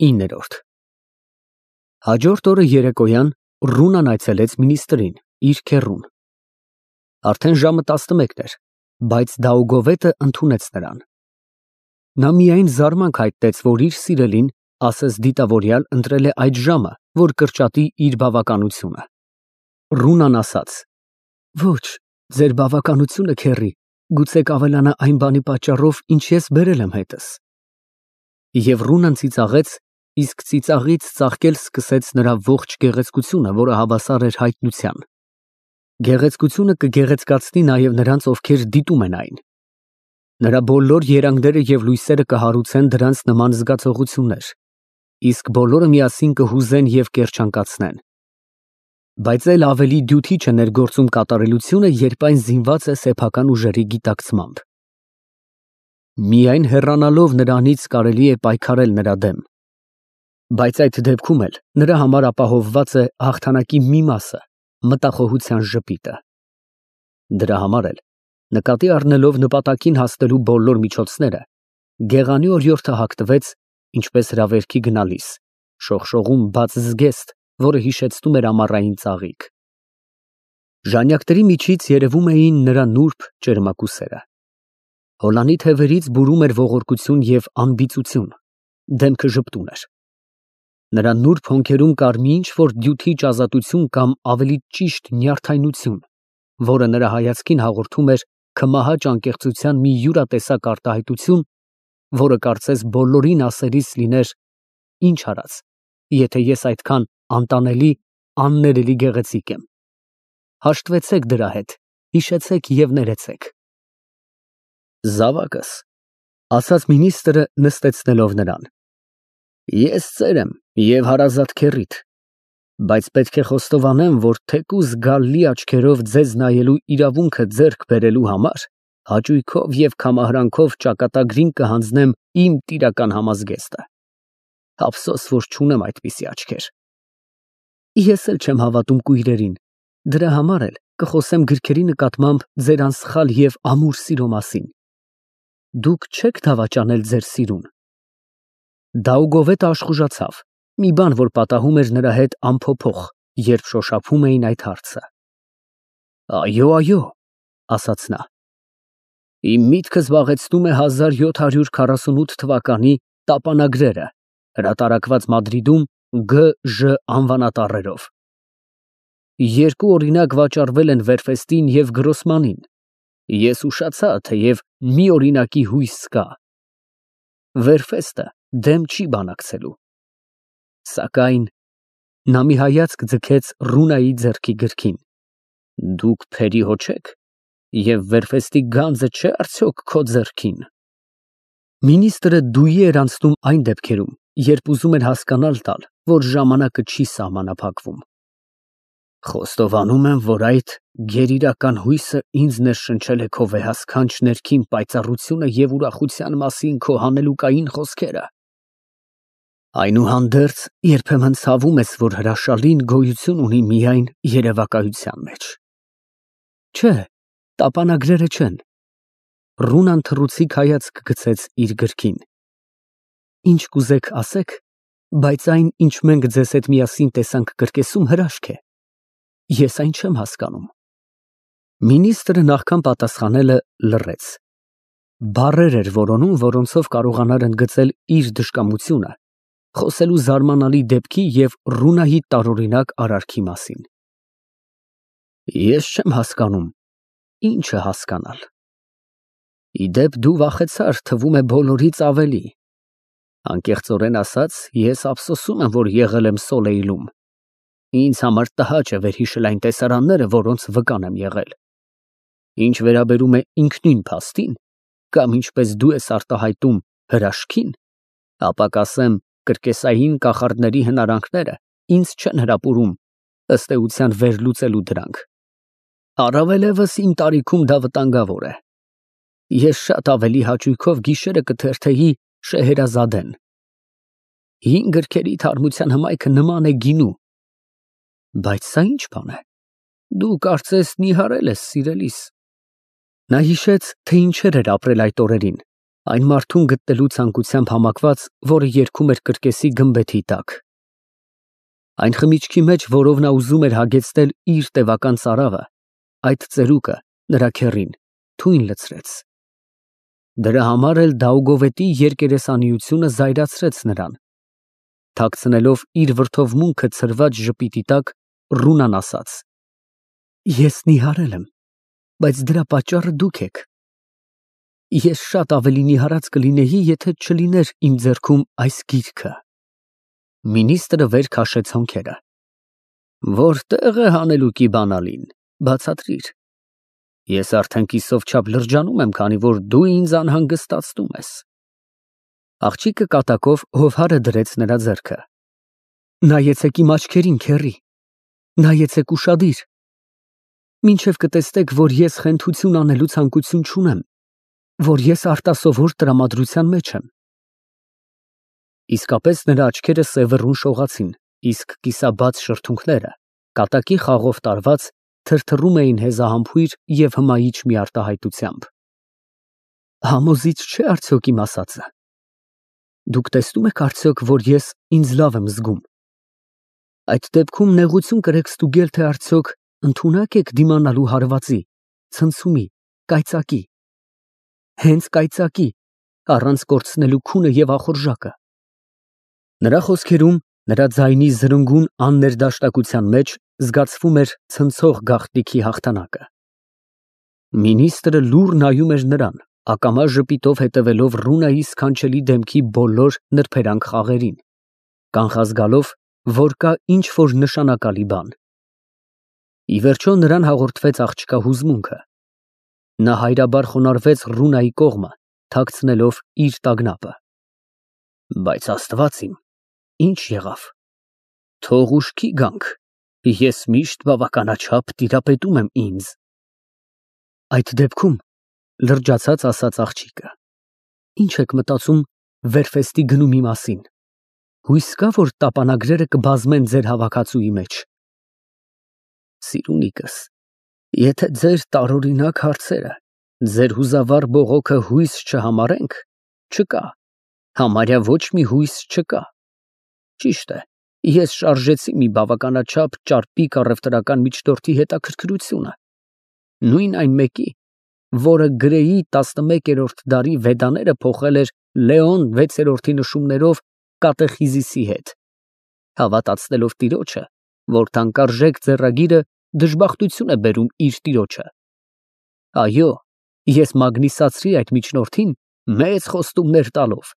9-րդ Հաջորդ օրը երեկոյան Ռունան այցելեց մինիստրին, իր քեռուն։ Արդեն ժամը 11 էր, բայց Դաուգովետը ընդունեց նրան։ Նա միայն զարմանք հայտնեց, որ իր սիրելին, ասես դիտավորյալ, ընտրել է այդ ժամը, որ կրճատի իր բավականությունը։ Ռունան ասաց. Ոչ, ձեր բավականությունը, քեռի, գուցե կավելանա այն բանի պատճառով, ինչ ես բերել եմ հետս։ Եվ Ռունան ծիծաղեց, իսկ ծիծաղից ծաղկել սկսեց նրա ողջ գեղեցկությունը, որը հավասար էր հայտնության։ Գեղեցկությունը կգեղեցկացնի նաև նրանց, ովքեր դիտում են այն։ Նրա բոլոր երանգները և լույսերը կհարուցեն դրանց նման զգացողություններ, իսկ բոլորը միասին կհուզեն և կերջանկացնեն։ Բայց էլ ավելի դյութիչ է ներգործում կատարելությունը, երբ այն զինված է սեփական ուժերի գիտակցմամբ։ Միայն հեռանալով նրանից կարելի է պայքարել նրա դեմ։ Բայց այդ դեպքում էլ նրա համար ապահովված է հաղթանակի մի մասը, մտախոհության ժպիտը։ Դրա համար էլ, նկատի առնելով նպատակին հասնելու բոլոր միջոցները, գեղանի օրիորդը հագնվեց, ինչպես հրավերքի գնալիս, շողշողում բաց զգեստ, որը հիշեցնում էր ամառային ծաղիկ։ Ժանյակների միջից երևում էին նրա նուրբ ճերմակուսերը։ Հոլանի թևերից բուրում էր ողորկություն և անբիծություն, դեմքը ժպտուն էր։ Նրա նուրբ հոնքերում կար մի ինչ-որ դյութիչ ազատություն կամ ավելի ճիշտ նյարդայնություն, որը նրա հայացքին հաղորդում էր քմահաճ անկեղծության մի յուրատեսակ արտահայտություն, որը կարծես բոլորին ասելիս լիներ. ինչ արած, եթե ես այդքան անտանելի, աններելի գեղեցիկ եմ։ Հաշտվեցեք դրա հետ, հիշեցեք և ներեցեք։ Զավակս, ասաց մինիստրը նստեցնելով նրան, ես ծեր եմ և հարազատ քեռիդ, բայց պետք է խոստովանեմ, որ թեկուզ գալլի աչքերով ձեզ նայելու իրավունքը ձեռք բերելու համար հաճույքով և քամահրանքով ճակատագրին կհանձնեմ իմ տիրական համազգեստը։ Ափսոս, որ չունեմ այդպիսի աչքեր։ Ես էլ չեմ հավատում կույրերին, դրա համար էլ կխոսեմ գրքերի նկատմամբ ձեր անսխալ և ամուր սիրո մասին։ Դուք չեք դավաճանել ձեր սիրուն։ Դաուգովետը աշխուժացավ, մի բան, որ պատահում էր նրա հետ անփոփոխ, երբ շոշափում էին այդ հարցը։ Այո, ասաց նա։ Իմ միտքը զբաղեցնում է 1748 թվականի տապանագրերը, հրատարակված Մադրիդում Գ.Ժ. անվանատառերով։ Երկու օրինակ վաճառվել են Վերֆեստին և Գրոսմանին։ Ես ուշացա, թեև մի օրինակի հույս կա։ Վերֆեստը դեմ չի բանակցելու։ Սակայն նա մի հայացք ձգեց Ռունայի ձեռքի գրքին։ Դուք փերի հո չեք, և Վերֆեստի գանձը չէ արդյոք քո ձեռքին։ Մինիստրը դույի էր անցնում այն դեպքերում, երբ ուզում էր հասկանալ տալ, որ ժամանակը չի սահմանափակվում։ Խոստովանում եմ, որ այդ գերիրական հույսը ինձ ներշնչել է քո վեհասքանչ ներքին պայծառությունը և ուրախության մասին քո հանելուկային խոսքերը։ Այնուհանդերձ, երբեմն ցավում ես, որ հրաշալին գոյություն ունի միայն երևակայության մեջ։ Չէ, տապանագրերը չեն։ Ռունան թռուցիկ հայացք գցեց իր գրքին։ Ինչ կուզեք ասեք, բայց այն, ինչ մենք ձեզ հետ միասին տեսանք կրկեսում, հրաշք է։ Ես այն չեմ հասկանում։ Մինիստրը նախքան պատասխանելը լռեց։ Բառեր էր որոնում, որոնցով կարողանար ընդգծել իր դժկամությունը, խոսելու զարմանալի դեպքի և Ռունայի տարօրինակ արարքի մասին։ Ես չեմ հասկանում, ինչը հասկանալ։ Իդեպ դու վախեցար, թվում է բոլորից ավելի։ Անկեղծորեն ասած, ես ափսոսում եմ, որ եղել եմ Սոլեյլում։ Ինձ համար տհաճ է վերհիշել այն տեսարանները, որոնց վկան եմ եղել։ Ինչ վերաբերում է ինքնին փաստին, կամ ինչպես դու ես արտահայտում հրաշքին, ապա կասեմ, կրկեսային կախարդների հնարանքները ինձ չեն հրապուրում, ըստ էության վերլուծելու դրանք։ Առավելևս իմ տարիքում դա վտանգավոր է։ Ես շատ ավելի հաճույքով գիշերը կթերթեի Շեհերազադեն։ Հին գրքերի թարմության հմայքը նման է գինու։ Բայց սա ինչ բան է։ Դու կարծես նիհարել ես սիրելիս։ Նա հիշեց, թե ինչեր էր ապրել այդ օրերին, Այն մարդուն գտնելու ցանկությամբ համակված, որը երգում էր կրկեսի գմբեթի տակ։ Այն խմիչքի մեջ, որով նա ուզում էր հագեցնել իր տևական ծարավը, այդ ծերուկը, նրա քեռին, թույն լցրեց։ Դրա համար էլ Դաուգովետի երկերեսանիությունը զայրացրեց նրան։ Թաքցնելով իր վրդովմունքը ցրված ժպիտի տակ, Ռունան ասաց. Ես նիհարել եմ, բայց դրա պատճառը դուք եք։ Ես շատ ավելի նիհարած կլինեի, եթե չլիներ իմ ձեռքում այս գիրքը։ Մինիստրը վեր քաշեց հոնքերը։ Որտեղ է հանելուկի բանալին, բացատրիր։ Ես արդեն կիսով չափ լրջանում եմ, քանի որ դու ինձ անհանգստացնում ես։ Աղջիկը կատակով հովհարը դրեց նրա ձեռքը։ Նայեցեք իմ աչքերին, քեռի, նայեցեք ուշադիր։ Մինչև կտեսնեք, որ ես խենթություն անելու ցանկություն չունեմ, որ ես արտասովոր տրամադրության մեջ եմ։ Իսկապես նրա աչքերը սևեռուն շողացին, իսկ կիսաբաց շրթունքները, կատակի խաղով տարված, թրթռում էին հեզահամբույր և հմայիչ մի արտահայտությամբ։ Համոզիչ չէ արդյոք իմ ասածը։ Դուք տեսնում եք արդյոք, որ ես ինձ լավ եմ զգում։ Այդ դեպքում նեղություն կրեք ստուգել, թե արդյոք ընդունակ եք դիմանալու հարվածի, ցնցումի, կայծակի։ Հենց կայծակի, առանց կորցնելու քունը և ախորժակը։ Նրա խոսքերում, նրա ձայնի զրնգուն աններդաշնակության մեջ զգացվում էր ցնցող գաղտնիքի հաղթանակը։ Մինիստրը լուռ նայում էր նրան, ակամա ժպիտով հետևելով Ռունայի սքանչելի դեմքի բոլոր նրբերանգ խաղերին, կանխազգալով, որ կա ինչ-որ նշանակալի բան։ Ի վերջո նրան հաղորդվեց աղջկա հուզմունքը։ Նա հայրաբար խոնարհվեց Ռունայի կողմը, թաքցնելով իր տագնապը։ Բայց Աստված իմ, ինչ եղավ։ Թող ուշքի գանք, ես միշտ բավականաչափ տիրապետում եմ ինձ։ Այդ դեպքում, լրջացած ասաց աղջիկը, ինչ եք մտածում Վերֆեստի գնումի մասին։ Հույս կա, որ տապանագրերը կբազմեն ձեր հավաքածուի մեջ։ Սիրունիկս, եթե ձեր տարօրինակ հարցերը, ձեր հուզավառ բողոքը հույս չհամարենք, չկա, համարյա ոչ մի հույս չկա։ Ճիշտ է, ես շարժեցի մի բավականաչափ ճարպիկ առևտրական միջնորդի հետաքրքրությունը, նույն այն մեկի, որը Գրեի 11-րդ դարի Վեդաները փոխել էր Լեոն 6-րդի նշումներով կատեխիզիսի հետ, հավատացնելով տիրոջը, որ թանկարժեք ձեռագիրը դժբախտություն է բերում իր տիրոջը։ Այո, ես մագնիսացրի այդ միջնորդին մեծ խոստումներ տալով,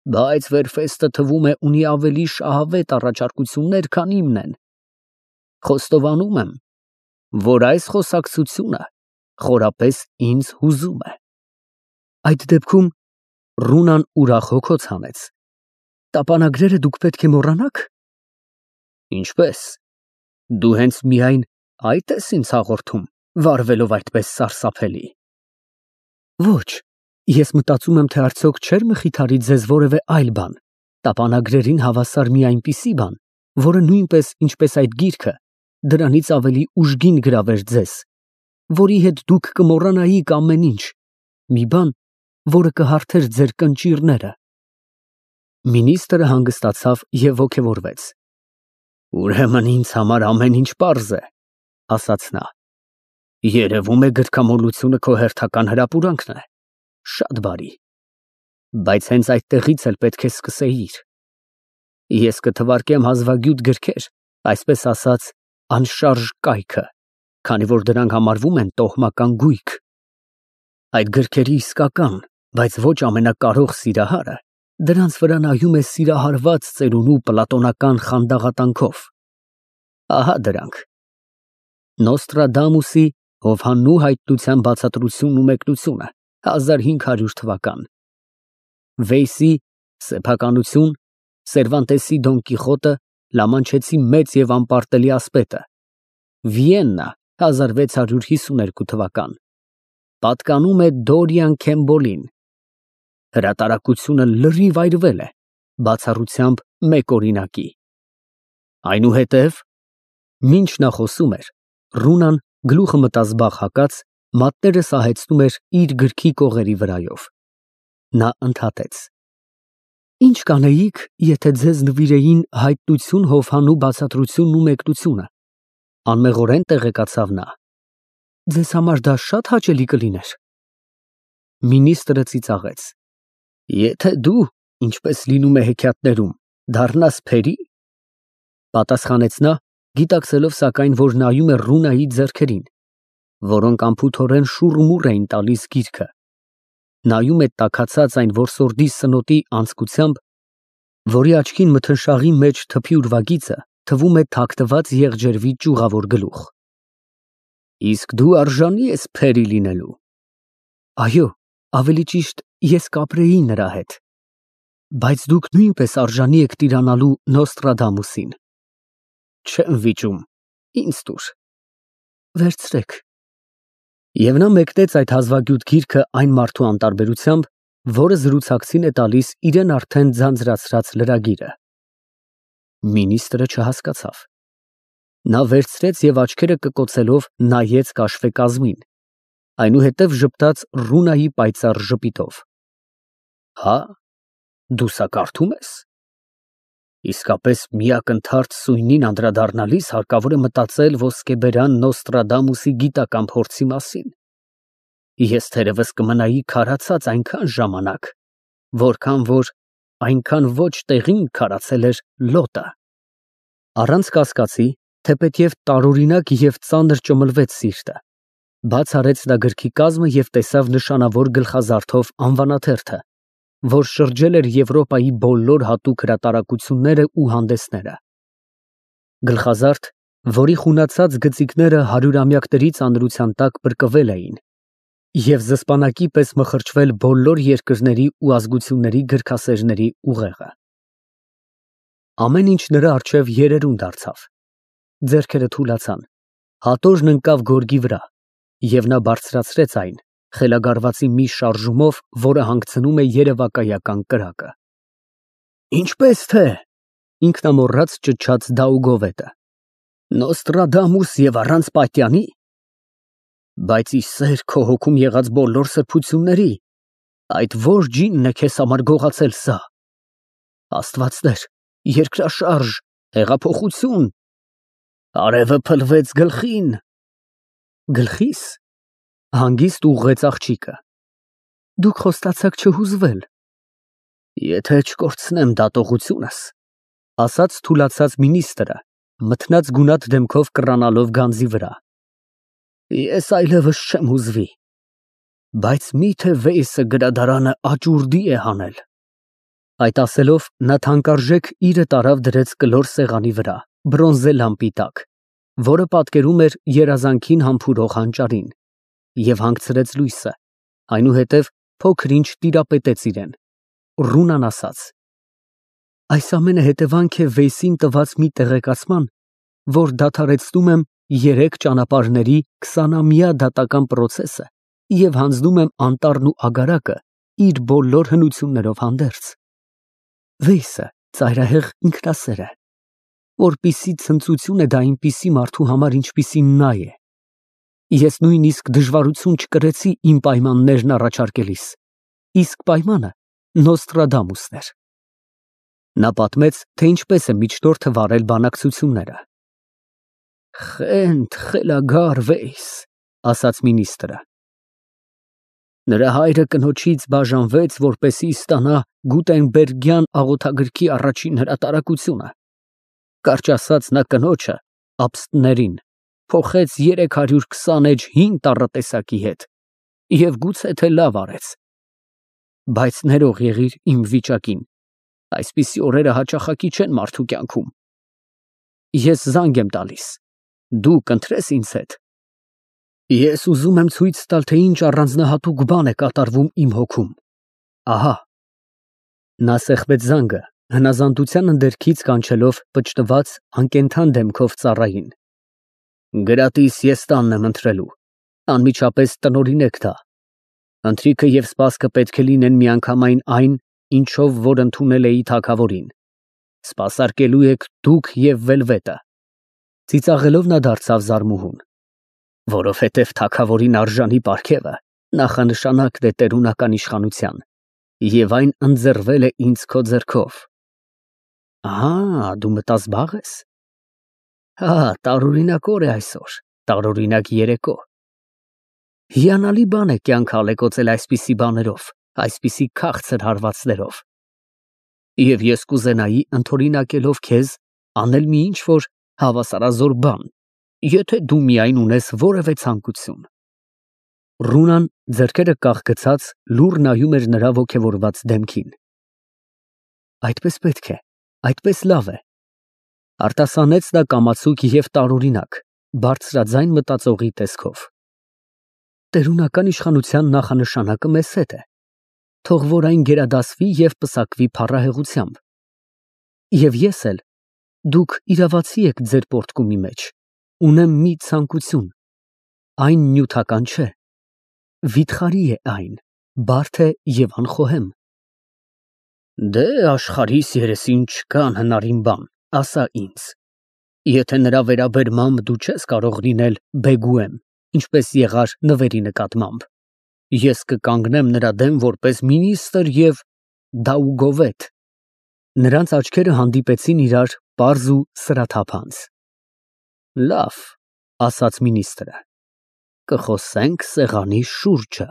բայց Վերֆեստը թվում է ունի ավելի շահավետ առաջարկություններ, քան իմն են։ Խոստովանում եմ, որ այս խոսակցությունը խորապես ինձ հուզում է։ Այդ դեպքում Ռունան ուրախ հոգոց հանեց։ Տապանագրերը դուք պետք է մոռանաք։ Ինչպես։ Դու հենց միայն այդ ես ինձ հաղորդում, վարվելով այդպես սարսափելի։ Ոչ, ես մտածում եմ, թե արդյոք չէր մխիթարի ձեզ որևէ այլ բան, տապանագրերին հավասար մի այնպիսի բան, որը նույնպես, ինչպես այդ գիրքը, դրանից ավելի ուժգին գրավեր ձեզ, որի հետ դուք կմոռանայիք ամեն ինչ, մի բան, որը կհարթեր ձեր կնճիռները։ Մինիստրը հանգստացավ և ոգևորվեց։ Ուրեմն ինձ համար ամեն ինչ պարզ է, ասաց նա։ Երևում է գրքամոլությունը քո հերթական հրապուրանքն է։ Շատ բարի։ Բայց հենց այդտեղից էլ պետք է սկսեիր։ Ես կթվարկեմ հազվագյուտ գրքեր, այսպես ասած, անշարժ կայքը, քանի որ դրանք համարվում են տոհմական գույք։ Այդ գրքերի իսկական, բայց ոչ ամենակարող սիրահարը դրանց վրա նայում է սիրահարված ծերունու պլատոնական խանդաղատանքով։ Ահա դրանք. Նոստրադամուսի Հովհաննու հայտնության բացատրությունն ու մեկնությունը 1500 թվական, Վեյսի սեփականություն, Սերվանտեսի Դոն Կիխոտը, Լամանչեցի մեծ և անպարտելի ասպետը, Վիեննա 1652 թվական, պատկանում է Դորիան Քեմբոլին։ Հրատարակությունը լրիվ այրվել է, բացառությամբ մեկ օրինակի։ Այնուհետև, մինչ նա խոսում էր, Ռունան գլուխը մտազբաղ հագած, մատները սահեցնում էր իր գրքի կողերի վրայով։ Նա ընդհատեց. Ինչ կանեիք, եթե ձեզ նվիրեին հայտնություն, հովհանու բացատրությունն ու մեկնությունը։ Անմեղորեն տեղեկացավ նա. Ձեզ համար դա շատ հաճելի կլիներ։ Մինիստրը ծիծաղեց. Եթե դու, ինչպես լինում է հեքիաթներում, դառնաս փերի, պատասխանեց նա, գիտակցելով սակայն, որ նայում է Ռունայի ձեռքերին, որոնք անփութորեն շուռմուռ էին տալիս գիրքը, նայում է տաքացած այն որսորդի սնոտի անցկությամբ, որի աչքին մթնշաղի մեջ թփի ուրվագիծը թվում է թաքնված եղջերվի ճյուղավոր գլուխ։ Իսկ դու արժանի ես փերի լինելու։ Այո, ավելի ճիշտ, ես կապրեի նրա հետ։ Բայց դուք նույնպես արժանի եք տիրանալու Նոստրադամուսին։ Չեմ վիճում, ինձ տուր։ Վերցրեք։ Եվ նա մեկնեց այդ հազվագյուտ գիրքը այն մարդու անտարբերությամբ, որը զրուցակցին է տալիս իրեն արդեն ձանձրացրած լրագիրը։ Մինիստրը չհասկացավ։ Նա վերցրեց եւ աչքերը կկոցելով նայեց կաշվեկազմին, այնուհետև ժպտաց Ռունայի պայծառ ժպիտով։ Հա, դու սա կարդում ես։ Իսկապես միակնթարթ սույնին անդրադառնալիս հարկավոր է մտածել ոսկեբերան Նոստրադամուսի գիտական փորձի մասին։ Ես թերևս կմնայի քարացած այնքան ժամանակ, որքան որ այնքան ոչ տեղին քարացել էր լոտը։ Առանց կասկածի, թեպետև տարօրինակ եւ ծանր ճմլվեց սիրտը, բաց արեց նա գրքի կազմը եւ տեսավ նշանավոր գլխազարդով անվանաթերթը, որ շրջել էր Եվրոպայի բոլոր հատուկ հրատարակությունները ու հանդեսները։ Գլխազարդ, որի խունացած գծիկները հարյուրամյակների ծանրության տակ բրկվել էին, և զսպանակի պես մխրճվել բոլոր երկրների ու ազգությունների գրքասերների ուղեղը։ Ամեն ինչ նրա առջև երերուն դարձավ, ձեռքերը թուլացան, հատոժն ընկավ գորգի վրա, և նա բարձրացրեց այն, խելագարվածի մի շարժումով, որը հանգցնում է երևակայական կրակը։ Ինչպես թե, ինքնամոռաց ճչաց Դաուգովետը, Նոստրադամուս և առանց պատյանի։ Բայց ի սեր քո հոգում եղած բոլոր սրբությունների, այդ որ ջինն է քեզ համար գողացել սա։ Աստվածներ, երկրաշարժ, հեղափոխություն, արևը փլվեց գլխին։ Գլխիս, հանգիստ ուղղեց աղջիկը։ Դուք խոստացաք չհուզվել։ Եթե չկորցնեմ դատողությունս, ասաց թուլացած մինիստրը, մթնած գունատ դեմքով կռանալով գանձի վրա։ Ես այլևս չեմ հուզվի, բայց միթե Վեյսը գրադարանը աճուրդի է հանել։ Այդ ասելով նա թանկարժեք իրը տարավ դրեց կլոր սեղանի վրա, բրոնզե լամպի տակ, որը պատկերում էր երազանքին համբուրող հանճարին, և հանգցրեց լույսը, այնուհետև փոքր-ինչ տիրապետեց իրեն, Ռունան ասաց. Այս ամենը հետևանք է Վեյսին տված մի տեղեկացման, որ դադարեցնում եմ 3 ճանապարհների 20-ամյա դատական պրոցեսը և հանձնում եմ անտառն ու ագարակը իր բոլոր հնություններով հանդերձ։ Վեյսը ծայրահեղ ինքնասեր է, որպիսի ցնծություն է դա այնպիսի մարդու համար, ինչպիսին նա է։ Ես նույնիսկ դժվարություն չկրեցի իմ պայմաններն առաջարկելիս, իսկ պայմանը Նոստրադամուսն էր։ Նա պատմեց, թե ինչպես է միջնորդը վարել բանակցությունները։ Խենթ խելագար Վեյս, ասաց մինիստրը։ Նրա հայրը կնոջից բաժանվեց, որպեսզի ստանա Գուտենբերգյան աղոթագրքի առաջին հրատարակությունը։ Կարճ ասած, նա կնոջը, աբստներին, փոխեց 320 էջ հին տառատեսակի հետ և գուցե թե լավ արեց։ Բայց ներող եղիր իմ վիճակին, այսպիսի օրերը հաճախակի չեն մարդու կյանքում։ Ես զանգ եմ տալիս, դու կընտրես ինձ հետ։ Ես ուզում եմ ցույց տալ, թե ինչ առանձնահատուկ բան է կատարվում իմ հոգում։ Ահա։ Նա սեղմեց զանգը, հնազանդության ընդերքից կանչելով պճտված, անկենդան դեմքով ծառային։ Գրատիս ես տանն եմ ընտրելու, անմիջապես տնօրինեք դա։ Ընթրիքը և սպասքը պետք է լինեն միանգամայն այն, ինչով որ ընդունել էի թագավորին։ Սպասարկելու եք դուք և Վելվետը։ Ծիծաղելով նա դարձավ Զարմուհուն։ Որովհետև թագավորին արժանի պարգևը նախանշանակն է տերունական իշխանության, Եվ այն ընձեռվել է ինձ քո ձեռքով։ Ահա, դու մտազբաղ ես։ Հա, տարօրինակ օր է այսօր, տարօրինակ երեկո։ Հիանալի բան է կյանք ալեկոծել այսպիսի բաներով, այսպիսի քաղցր հարվածներով։ Եվ ես կուզենայի ընդօրինակելով քեզ անել մի ինչ-որ հավասարազոր բան, եթե դու միայն ունես որևէ ցանկություն։ Ռունան ձեռքերը կախգցած լուռ նայում էր նրա ոգևորված դեմքին։ Այդպես պետք է, այդպես լավ է, արտասանեց նա կամացուկ և տարօրինակ, բարձրաձայն մտածողի տեսքով։ Տերունական իշխանության նախանշանակը մեզ հետ է, թող որ այն գերադասվի և պսակվի փառահեղությամբ։ Եվ ես էլ, դուք իրավացի եք ձեր պոռթկումի մեջ, ունեմ մի ցանկություն, այն նյութական չէ, վիթխարի է այն, բարդ է և անխոհեմ։ Դե աշխարհիս երեսին չկա անհնարին բան, ասա ինձ, եթե նրա վերաբերմամբ դու չես կարող լինել բեգուեմ, ինչպես եղար նվերի նկատմամբ, ես կկանգնեմ նրա դեմ որպես մինիստրը և դաուգովետ։ Նրանց աչքերը հանդիպեցին իրար պարզ ու սրաթափանց։ Լավ, ասաց մինիստրը, կխոսենք սեղանի շուրջը։